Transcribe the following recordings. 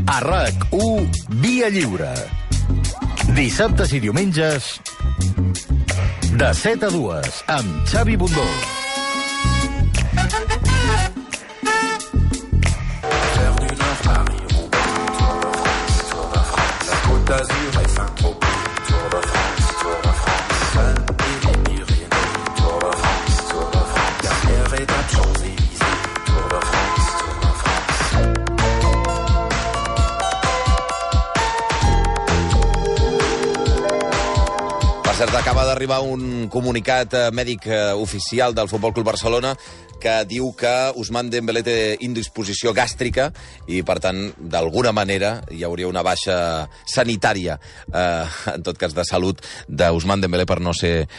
A RAC1, Via Lliure. Dissabtes i diumenges, de 7 a 2, amb Xavi Bundó. cert, acaba d'arribar un comunicat mèdic oficial del Futbol Club Barcelona que diu que Ousmane Dembélé té indisposició gàstrica i, per tant, d'alguna manera hi hauria una baixa sanitària, en tot cas de salut, d'Ousmane Dembélé per no ser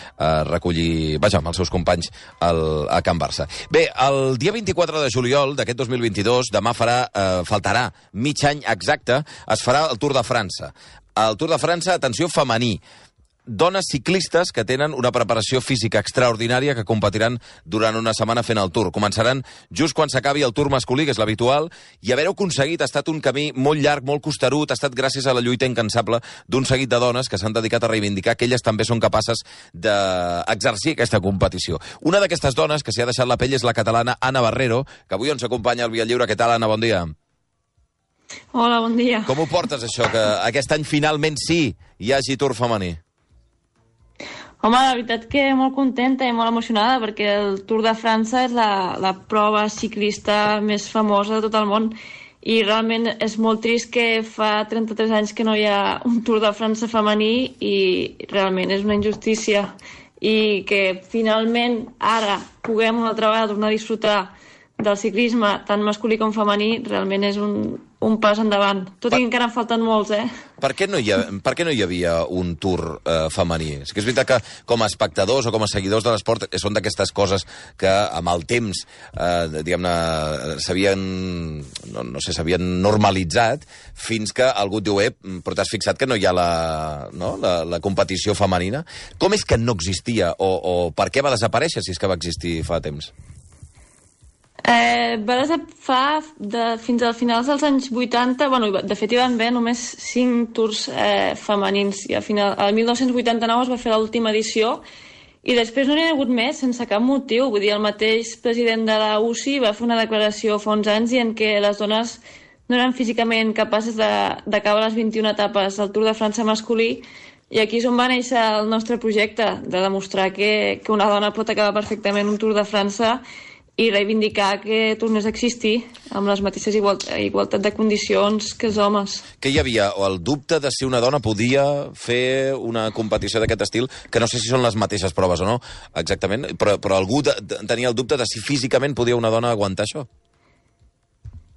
recollir, vaja, amb els seus companys a Can Barça. Bé, el dia 24 de juliol d'aquest 2022, demà faltarà mig any exacte, es farà el Tour de França. El Tour de França, atenció, femení. Dones ciclistes que tenen una preparació física extraordinària que competiran durant una setmana fent el Tour. Començaran just quan s'acabi el Tour masculí, que és l'habitual, i haver-ho aconseguit ha estat un camí molt llarg, molt costerut, ha estat gràcies a la lluita incansable d'un seguit de dones que s'han dedicat a reivindicar que elles també són capaces d'exercir aquesta competició. Una d'aquestes dones que s'hi ha deixat la pell és la catalana Anna Barrero, que avui ens acompanya al Via Lliure. Què tal, Anna? Bon dia. Hola, bon dia. Com ho portes, això, que aquest any finalment sí hi hagi Tour femení? Home, la veritat que molt contenta i molt emocionada perquè el Tour de França és la prova ciclista més famosa de tot el món i realment és molt trist que fa 33 anys que no hi ha un Tour de França femení i realment és una injustícia i que finalment ara puguem una altra vegada tornar a disfrutar del ciclisme tant masculí com femení realment és un pas endavant. Tot i que encara en falten molts, Per què no hi havia un Tour femení? És que és veritat que com a espectadors o com a seguidors de l'esport són d'aquestes coses que amb el temps, diguem-ne, s'havien normalitzat fins que algú et diu, però t'has fixat que no hi ha la competició femenina? Com és que no existia o per què va desaparèixer si és que va existir fa temps? Fins als finals dels anys 80, de fet hi van haver només 5 tours femenins i al 1989 es va fer l'última edició i després no n'hi ha hagut més sense cap motiu. Vull dir, el mateix president de la UCI va fer una declaració fa uns anys dient que les dones no eren físicament capaces d'acabar les 21 etapes del Tour de França masculí i aquí és on va néixer el nostre projecte, de demostrar que una dona pot acabar perfectament un Tour de França i reivindicar que tornés a existir amb les mateixes igualtat de condicions que els homes. Que hi havia el dubte de si una dona podia fer una competició d'aquest estil, que no sé si són les mateixes proves o no, exactament, però algú tenia el dubte de si físicament podia una dona aguantar això?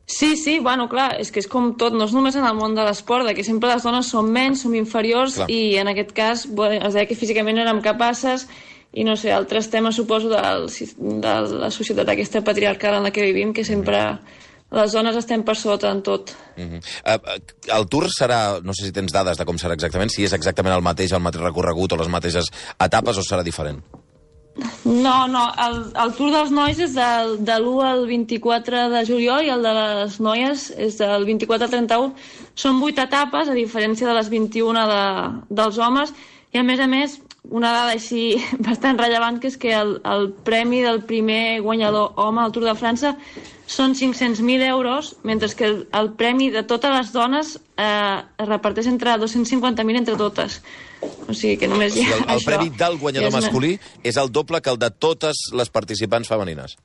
Sí, clar, és que és com tot, no és només en el món de l'esport, que sempre les dones som menys, som inferiors, clar. I en aquest cas es deia que físicament no érem capaces i no sé, altres temes suposo de la societat aquesta patriarcal en la que vivim, que sempre les dones estem per sota en tot. El Tour serà, no sé si tens dades de com serà exactament, si és exactament el mateix recorregut o les mateixes etapes o serà diferent? No, el Tour dels nois és de l'1 al 24 de juliol i el de les noies és del 24 al 31. Són 8 etapes, a diferència de les 21 dels homes, i a més, una dada així bastant rellevant, que és que el premi del primer guanyador home al Tour de França són 500.000 euros, mentre que el premi de totes les dones es reparteix entre 250.000 entre totes. O sigui que només hi ha això. El premi del guanyador masculí és el doble que el de totes les participants femenines.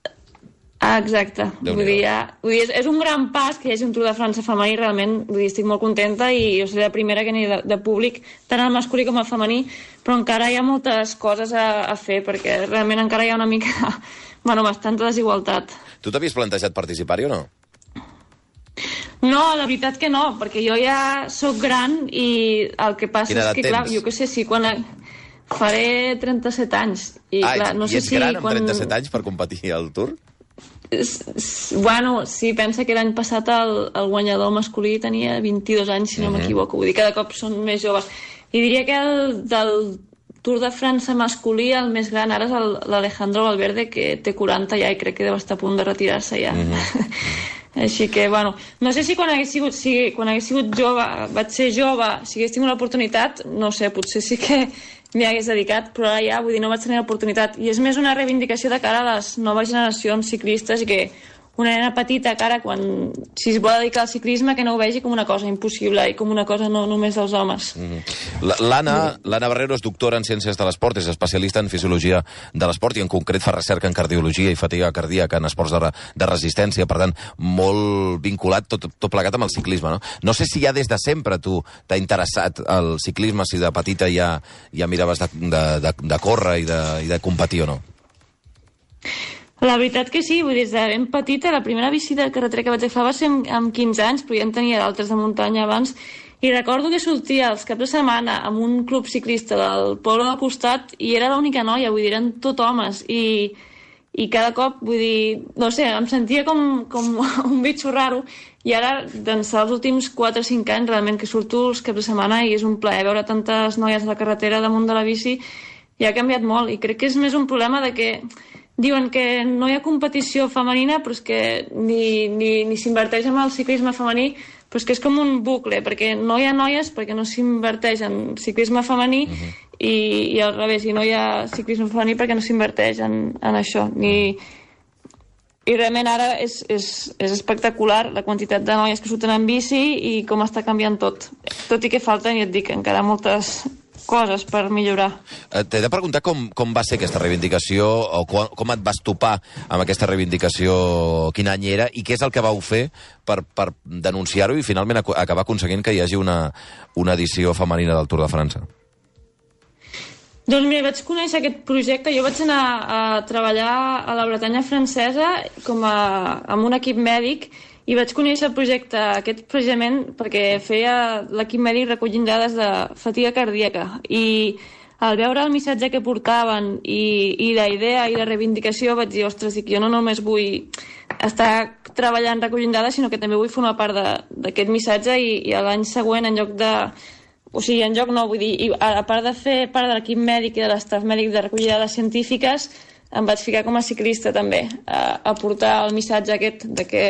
Exacte. Vull dir, és un gran pas que hi hagi un Tour de França femení, realment estic molt contenta i jo seré la primera que aniré de públic, tant al masculí com al femení, però encara hi ha moltes coses a fer, perquè realment encara hi ha una mica, bastanta desigualtat. Tu t'havies plantejat participar-hi o no? No, la veritat que no, perquè jo ja sóc gran i el que passa és que, clar, jo què sé, quan faré 37 anys. I ets gran amb 37 anys per competir al Tour? Sí, pensa que l'any passat el guanyador masculí tenia 22 anys, si no m'equivoco. Vull dir, cada cop són més joves. I diria que del Tour de França masculí el més gran ara és l'Alejandro Valverde, que té 40 ja i crec que deu estar a punt de retirar-se ja. Així que, bueno, no sé si quan hagués sigut jove, vaig ser jove, si hagués tingut l'oportunitat, no sé, potser sí que m'hi hagués dedicat, però ara ja, vull dir, no vaig tenir l'oportunitat. I és més una reivindicació de cara a les noves generacions ciclistes i que una nena petita, cara, si es vol dedicar al ciclisme, que no ho vegi com una cosa impossible i com una cosa no només dels homes. L'Anna Barrero és doctora en Ciències de l'Esport, és especialista en Fisiologia de l'Esport i en concret fa recerca en cardiologia i fatiga cardíaca en esports de resistència, per tant, molt vinculat tot plegat amb el ciclisme, no? No sé si ja des de sempre tu t'ha interessat el ciclisme, si de petita ja miraves de córrer i de competir o no? La veritat que sí, vull dir, des de ben petita, la primera bici de carretera que vaig agafar va ser amb 15 anys, però ja en tenia d'altres de muntanya abans, i recordo que sortia els caps de setmana amb un club ciclista del poble del costat i era l'única noia, vull dir, eren tot homes, i cada cop, vull dir, no sé, em sentia com un bitxo raro, i ara, d'ençà els últims 4 o 5 anys, realment que surto els caps de setmana i és un plaer veure tantes noies a la carretera damunt de la bici, i ha canviat molt, i crec que és més un problema de que diuen que no hi ha competició femenina, però és que ni s'inverteix en el ciclisme femení, però és que és com un bucle, perquè no hi ha noies perquè no s'inverteix en ciclisme femení i al revés, i no hi ha ciclisme femení perquè no s'inverteix en això. I realment ara és espectacular la quantitat de noies que surten en bici i com està canviant tot. Tot i que falten, ja et dic, encara moltes coses per millorar. T'he de preguntar com va ser aquesta reivindicació o com et vas topar amb aquesta reivindicació, quin any era i què és el que vau fer per denunciar-ho i finalment acabar aconseguint que hi hagi una edició femenina del Tour de França. Doncs mira, vaig conèixer aquest projecte. Jo vaig anar a treballar a la Bretanya francesa amb un equip mèdic i vaig conèixer el projecte aquest precisament perquè feia l'equip mèdic recollint dades de fatiga cardíaca i al veure el missatge que portaven i la idea i la reivindicació vaig dir, ostres, jo no només vull estar treballant recollint dades, sinó que també vull formar part d'aquest missatge i l'any següent en lloc de... O sigui, en lloc no, vull dir, a part de fer part de l'equip mèdic i de l'estaf mèdic de recollir dades científiques, em vaig ficar com a ciclista també a portar el missatge aquest de que...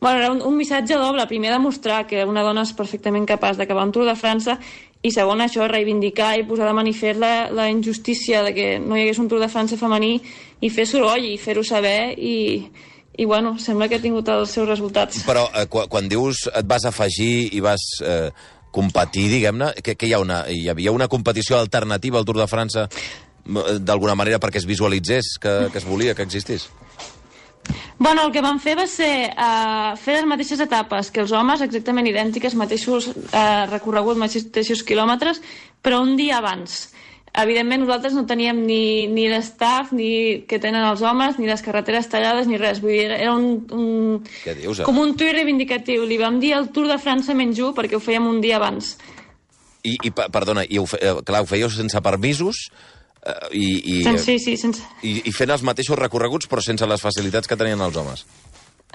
Bueno, era un missatge doble. Primer, demostrar que una dona és perfectament capaç d'acabar un Tour de França i segon, això, reivindicar i posar de manifest la injustícia de que no hi hagués un Tour de França femení i fer soroll i fer-ho saber i bueno, sembla que ha tingut els seus resultats. Però quan dius et vas afegir i vas competir, diguem-ne, que hi havia una competició alternativa al Tour de França d'alguna manera perquè es visualitzés que es volia, que existís? Bueno, el que vam fer va ser fer les mateixes etapes que els homes, exactament idèntiques, mateixos recorreguts, mateixos quilòmetres, però un dia abans. Evidentment, nosaltres no teníem ni l'estaf ni que tenen els homes, ni les carreteres tallades, ni res. Vull dir, era com un tuit reivindicatiu. Li vam dir el Tour de França -1 perquè ho fèiem un dia abans. Perdona, clar, ho fèieu sense permisos sense... I fent els mateixos recorreguts però sense les facilitats que tenien els homes.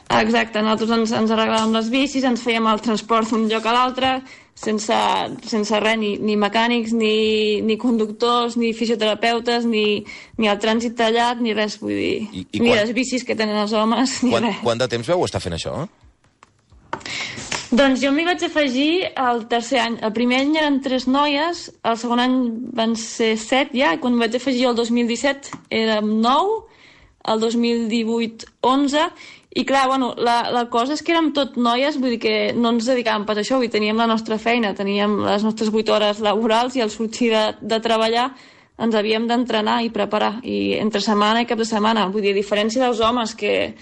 Exacte, nosaltres ens arreglàvem les bicis, ens fèiem el transport d'un lloc a l'altre, sense res, ni mecànics, ni conductors, ni fisioterapeutes, ni el trànsit tallat, ni res, vull dir, ni les bicis que tenen els homes, ni res. Quant de temps vau estar fent això? Doncs jo m'hi vaig afegir el tercer any. El primer any eren 3 noies, el segon any van ser 7 ja, i quan vaig afegir el 2017 érem 9, el 2018 11, i clar, bueno, la cosa és que érem tot noies, vull dir que no ens dedicàvem pas a això, vull dir, teníem la nostra feina, teníem les nostres 8 hores laborals i al sortir de treballar ens havíem d'entrenar i preparar, i entre setmana i cap de setmana, vull dir, a diferència dels homes que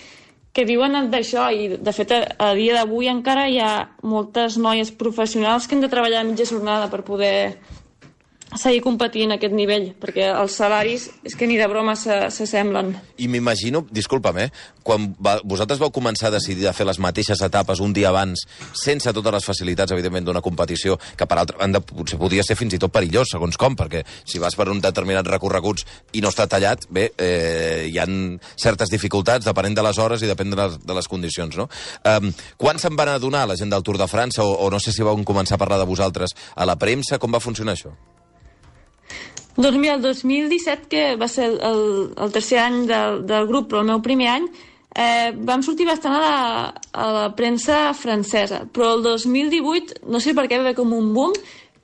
viuen d'això, i de fet a dia d'avui encara hi ha moltes noies professionals que han de treballar a mitja jornada per poder seguir competint a aquest nivell, perquè els salaris és que ni de broma s'assemblen. I m'imagino, disculpa'm, quan vosaltres vau començar a decidir de fer les mateixes etapes un dia abans, sense totes les facilitats, evidentment, d'una competició, que per altra banda potser podria ser fins i tot perillós, segons com, perquè si vas per un determinats recorreguts i no està tallat, bé, hi ha certes dificultats, depenent de les hores i depèn de les condicions, no? Quan se'n van adonar la gent del Tour de França, o no sé si vau començar a parlar de vosaltres a la premsa, com va funcionar això? Doncs mira, el 2017, que va ser el tercer any del grup, però el meu primer any, vam sortir bastant a la premsa francesa, però el 2018 no sé per què va haver com un boom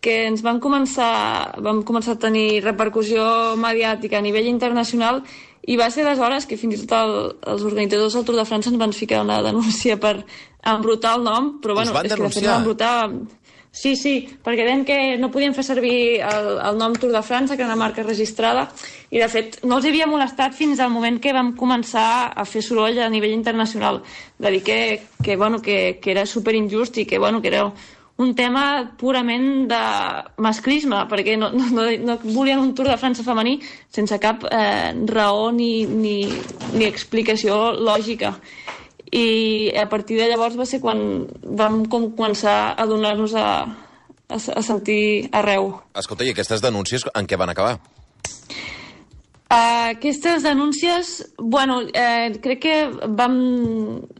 que ens vam començar a tenir repercussió mediàtica a nivell internacional, i va ser aleshores que fins i tot els organitzadors del Tour de França ens van ficar una denúncia per embrutar el nom, però bueno, és que de fet no embrutar... Sí, perquè deien que no podien fer servir el nom Tour de França, que era una marca registrada, i de fet no els havia molestat fins al moment que vam començar a fer soroll a nivell internacional, de dir que era superinjust i que era un tema purament de masclisme, perquè no volien un Tour de França femení sense cap raó ni explicació lògica. I a partir de llavors va ser quan vam començar a donar-nos a sentir arreu. Escolta, i aquestes denúncies en què van acabar? Aquestes denúncies, crec que vam,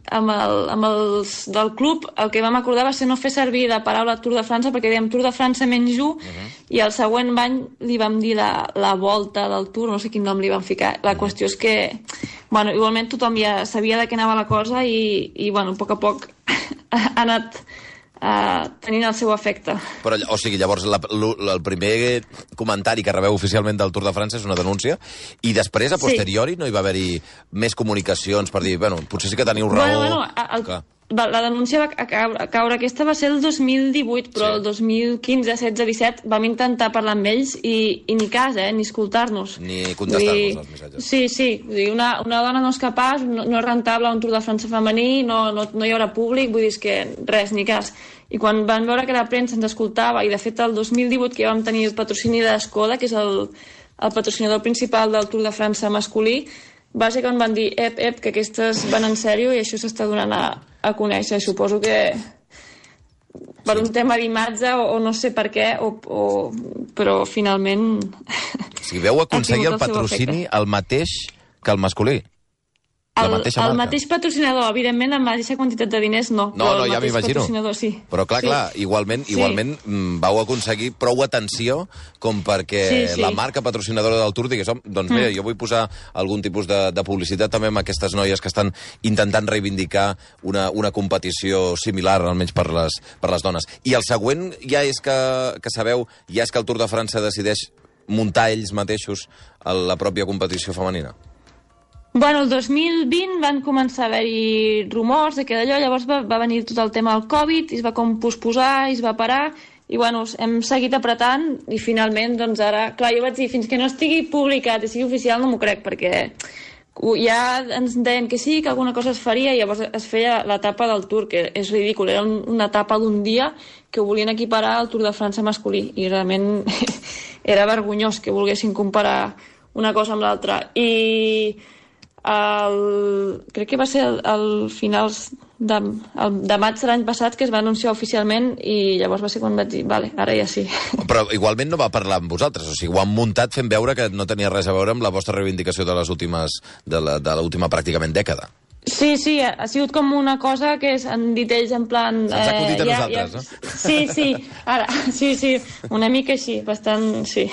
amb els del club, el que vam acordar va ser no fer servir la paraula Tour de França, perquè dèiem Tour de França menys 1, i el següent any li vam dir la volta del Tour, no sé quin nom li vam ficar. La qüestió és que, igualment tothom ja sabia de què anava la cosa i a poc ha anat tenint el seu efecte. Però, o sigui, llavors el primer comentari que rebeu oficialment del Tour de França és una denúncia, i després, a posteriori, no hi va haver-hi més comunicacions per dir, potser sí que teniu raó... La denúncia va caure, aquesta va ser el 2018, però el 2015, 16, 17 vam intentar parlar amb ells i ni cas, ni escoltar-nos. Ni contestar-nos els missatges. Sí. Una dona no és capaç, no és rentable un Tour de França femení, no hi haurà públic, vull dir que res, ni cas. I quan van veure que la premsa ens escoltava, i de fet el 2018 que vam tenir el patrocini de Skoda, que és el patrocinador principal del Tour de França masculí, va ser quan van dir, que aquestes van en sèrio i això s'està donant a conèixer. Suposo que per un tema d'imatge o no sé per què, però finalment... Si veu aconseguir el patrocini el mateix que el masculí. El mateix patrocinador, evidentment, amb la mateixa quantitat de diners, no. No, ja m'imagino. Sí. Però clar, igualment vau aconseguir prou atenció com perquè la marca patrocinadora del Tour digués, doncs mira, jo vull posar algun tipus de publicitat també amb aquestes noies que estan intentant reivindicar una competició similar, almenys per les dones. I el següent ja és que sabeu, ja és que el Tour de França decideix muntar ells mateixos la pròpia competició femenina. El 2020 van començar a haver-hi rumors de que d'allò, llavors va venir tot el tema del Covid, i es va com posposar, i es va parar, i hem seguit apretant, i finalment, doncs ara, clar, jo vaig dir, fins que no estigui publicat i sigui oficial no m'ho crec, perquè ja ens deien que sí, que alguna cosa es faria, i llavors es feia l'etapa del Tour, que és ridícul, era una etapa d'un dia que ho volien equiparar al Tour de França masculí, i realment era vergonyós que volguessin comparar una cosa amb l'altra. I crec que va ser al finals de maig de l'any passat que es va anunciar oficialment, i llavors va ser quan vaig dir, vale, ara ja sí. Però igualment no va parlar amb vosaltres, o sigui, ho han muntat fent veure que no tenia res a veure amb la vostra reivindicació de l'última pràcticament dècada. Sí, ha sigut com una cosa que han dit ells en plan... Se'ns ha acudit a nosaltres, no? Sí, ara, sí, una mica així, bastant, sí.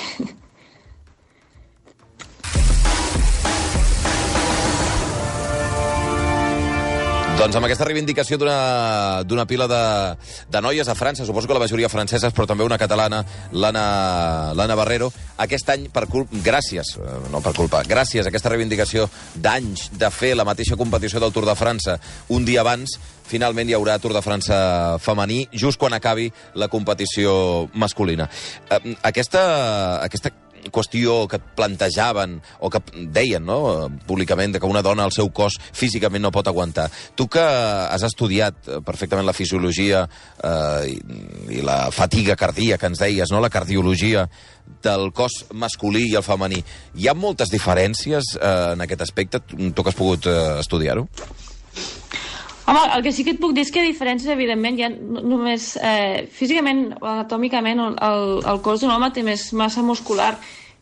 Doncs amb aquesta reivindicació d'una pila de noies a França, suposo que la majoria franceses, però també una catalana, l'Anna Barrero, aquest any, gràcies a aquesta reivindicació d'anys de fer la mateixa competició del Tour de França un dia abans, finalment hi haurà Tour de França femení, just quan acabi la competició masculina. Aquesta qüestió que plantejaven o que deien, no, públicament, que una dona el seu cos físicament no pot aguantar. Tu que has estudiat perfectament la fisiologia i la fatiga cardíaca, ens deies, no, la cardiologia del cos masculí i el femení, hi ha moltes diferències en aquest aspecte? Tu que has pogut estudiar-ho? Home, el que sí que et puc dir és que diferències, evidentment, hi ha només físicament o anatòmicament el cos d'un home té més massa muscular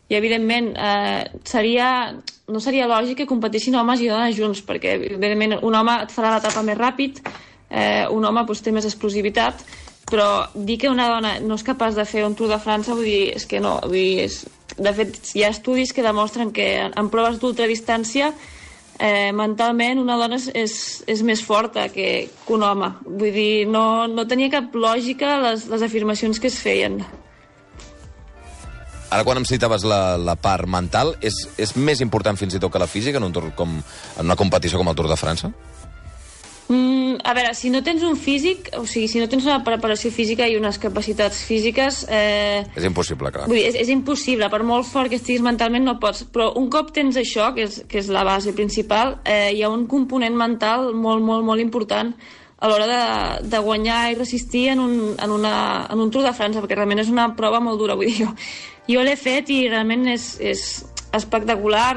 i, evidentment, no seria lògic que competissin homes i dones junts, perquè, evidentment, un home et farà l'etapa més ràpid, un home té més explosivitat, però dir que una dona no és capaç de fer un Tour de França, vull dir, és que no. De fet, hi ha estudis que demostren que en proves d'ultradistància mentalment una dona és més forta que un home. Vull dir, no tenia cap lògica les afirmacions que es feien. Ara, quan em citaves la part mental, és més important fins i tot que la física en una competició com el Tour de França? A veure, si no tens un físic, o sigui, si no tens una preparació física i unes capacitats físiques... És impossible, clar. Vull dir, és impossible, per molt fort que estiguis mentalment no pots, però un cop tens això, que és la base principal, hi ha un component mental molt, molt, molt important a l'hora de guanyar i resistir en un Tour de França, perquè realment és una prova molt dura, vull dir, jo l'he fet i realment és espectacular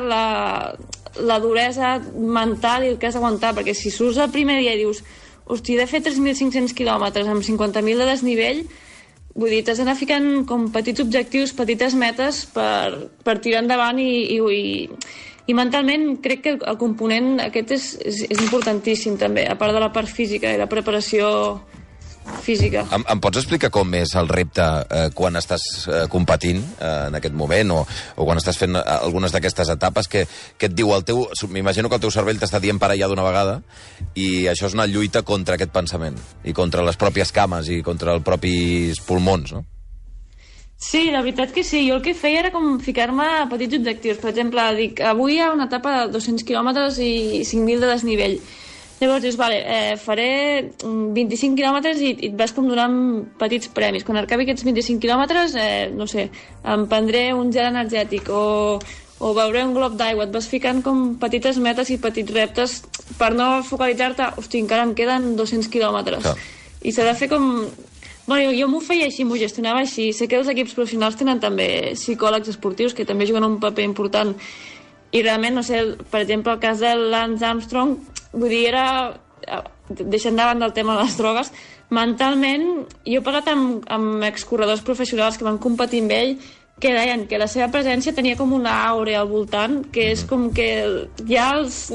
la duresa mental i el que has d'aguantar, perquè si surts el primer dia i dius hosti, he de fer 3.500 quilòmetres amb 50.000 de desnivell, vull dir, t'has d'anar ficant com petits objectius, petites metes per tirar endavant i mentalment crec que el component aquest és importantíssim també, a part de la part física i la preparació física. Em pots explicar com és el repte quan estàs competint en aquest moment o quan estàs fent algunes d'aquestes etapes que et diu m'imagino que el teu cervell t'està dient para allà d'una vegada i això és una lluita contra aquest pensament i contra les pròpies cames i contra els propis pulmons, no? Sí, la veritat que sí. Jo el que feia era com ficar-me a petits objectius. Per exemple, dic, avui hi ha una etapa de 200 quilòmetres i 5.000 de desnivell. Llavors dius, vale, faré 25 quilòmetres i et vas com donant petits premis. Quan acabi aquests 25 quilòmetres, no sé, em prendré un gel energètic o beuré un glob d'aigua. Et vas ficant com petites metes i petits reptes per no focalitzar-te, hosti, encara em queden 200 quilòmetres. Clar. I s'ha de fer com... Bueno, jo m'ho feia així, m'ho gestionava així. Sé que els equips professionals tenen també psicòlegs esportius que també juguen un paper important. I realment, no sé, per exemple, el cas de Lance Armstrong, vull dir, deixant davant del tema de les drogues, mentalment, jo he parlat amb excorredors professionals que van competir amb ell, que deien que la seva presència tenia com una àurea al voltant, que és com que ja els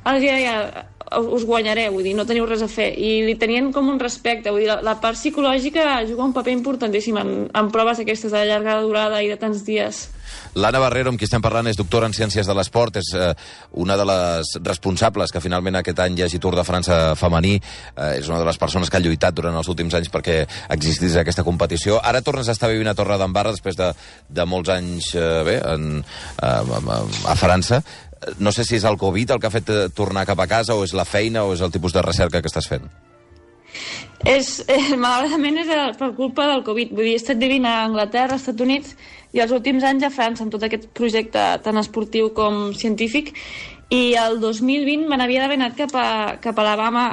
deia, us guanyaré, vull dir, no teniu res a fer. I li tenien com un respecte, vull dir, la part psicològica juga un paper importantíssim en proves aquestes de llarga durada i de tants dies. L'Anna Barrero, amb qui estem parlant, és doctora en Ciències de l'Esport, és una de les responsables que finalment aquest any hi hagi Tour de França femení, és una de les persones que ha lluitat durant els últims anys perquè existís aquesta competició. Ara tornes a estar vivint a Torredembarra després de molts anys a França. No sé si és el Covid el que ha fet tornar cap a casa o és la feina o és el tipus de recerca que estàs fent. Malauradament és per culpa del Covid. Vull dir, he estat vivint a Anglaterra, als Estats Units i els últims anys a França amb tot aquest projecte tant esportiu com científic, i el 2020 me n'havia d'haver anat cap a Alabama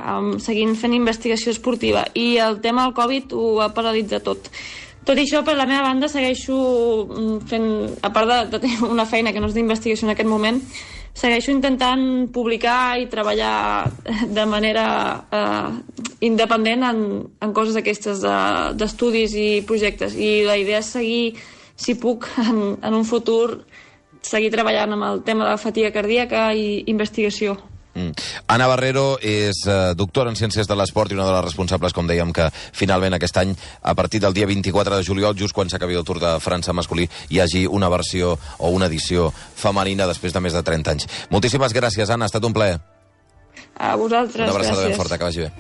seguint fent investigació esportiva i el tema del Covid ho ha paralitzat tot. Tot i això, per la meva banda, segueixo fent, a part de tenir una feina que no és d'investigació en aquest moment, segueixo intentant publicar i treballar de manera independent en coses aquestes d'estudis i projectes. I la idea és seguir, si puc, en un futur, seguir treballant amb el tema de la fatiga cardíaca i investigació. Anna Barrero és doctora en Ciències de l'Esport i una de les responsables, com dèiem, que finalment aquest any, a partir del dia 24 de juliol, just quan s'acabi el Tour de França masculí, hi hagi una versió o una edició femenina després de més de 30 anys. Moltíssimes gràcies, Anna, ha estat un plaer. A vosaltres, una abraçada gràcies. ben forta, que vagi bé.